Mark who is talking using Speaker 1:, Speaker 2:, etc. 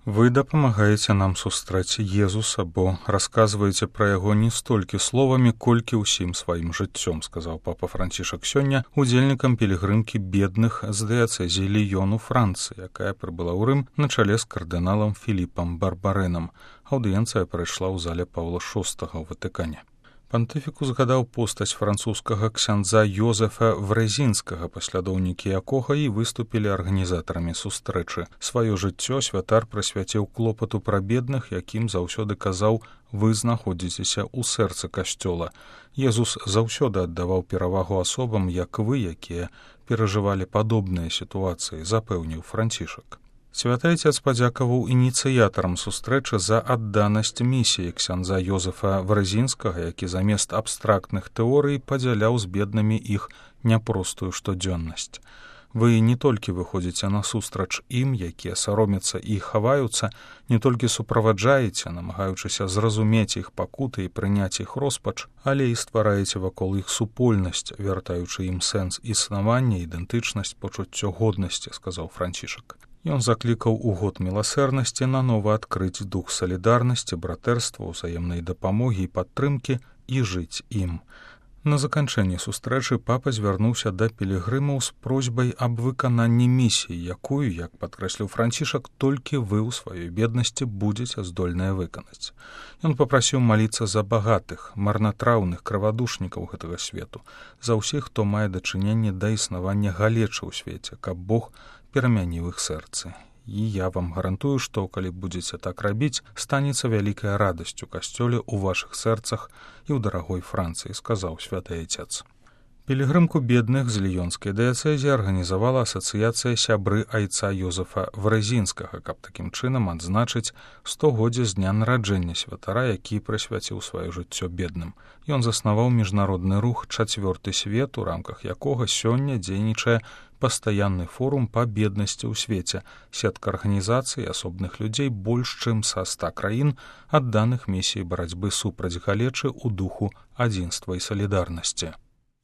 Speaker 1: Вы дапамагаеце нам сустрэць Езуса, бо расказваеце пра яго не столькі словамі, колькі ўсім сваім жыццём, сказаў папа Францішак сёння удзельнікам пілігрымкі бедных з дыяцэзіі Ліёну Францыі, якая прыбыла ў Рым на чале з кардыналам Філіпам Барбарэнам. Аўдыенцыя прайшла ў зале Паўла VI ў Ватыкане. Пантыфік узгадаў постаць французскага ксяндза Йозефа Врэзінскага, паслядоўнікі якога і выступілі арганізатарамі сустрэчы. Сваё жыццё святар прысвяціў клопату пра бедных, якім заўсёды казаў: «Вы знаходзіцеся ў сэрцы касцёла». Езус заўсёды аддаваў перавагу асобам, як вы, якія перажывалі падобныя сітуацыі, запэўніў Францішак. Святы Отец падзякаваў ініцыятарам сустрэчы за адданасць місіі ксяндза Йозефа Врэзінскага, які замест абстрактных тэорый падзяляў з беднымі іх няпростую штодзённасць. Вы не толькі выходзіце насустрач ім, якія саромяцца і хаваюцца, не толькі суправаджаеце, намагаючыся зразумець іх пакуты і прыняць іх роспач, але і ствараеце вакол іх супольнасць, вяртаючы ім сэнс існавання, ідэнтычнасць, пачуццё годнасці, сказаў Францішак. Ён заклікаў у год міласэрнасці нанова адкрыць дух салідарнасці, братэрства, узаемнай дапамогі і падтрымкі і жыць ім. На заканчэнні сустрэчы папа звярнуўся да пілігрымаў з просьбай аб выкананні місіі, якую, як падкрэсліў Францішак, толькі вы ў сваёй беднасці будзеце здольныя выканаць. Ён папрасіў маліцца за багатых, марнатраўных крывадушнікаў гэтага свету, за ўсіх, хто мае дачыненне да існавання галечы ў свеце, каб Бог перамяніў іх сэрцы. І я вам гарантую, што, калі будзеце так рабіць, станецца вялікая радасць у касцёле, у вашых сэрцах і ў дарагой Францыі, сказаў святы Отец. Пілігрымку бедных з Ліёнскай дыяцэзіі арганізавала асацыяцыя сябры айца Йозефа Врэзінскага, каб такім чынам адзначыць 100годдзе з дня нараджэння святара, які прысвяціў сваё жыццё бедным. Ён заснаваў міжнародны рух «Чацвёрты свет», у рамках якога сёння дзейнічае пастаянны форум па беднасці ў свеце, сетка арганізацый асобных людзей больш чым са 100 краін, адданых місіі барацьбы супраць галечы ў духу адзінства і салідарнасці.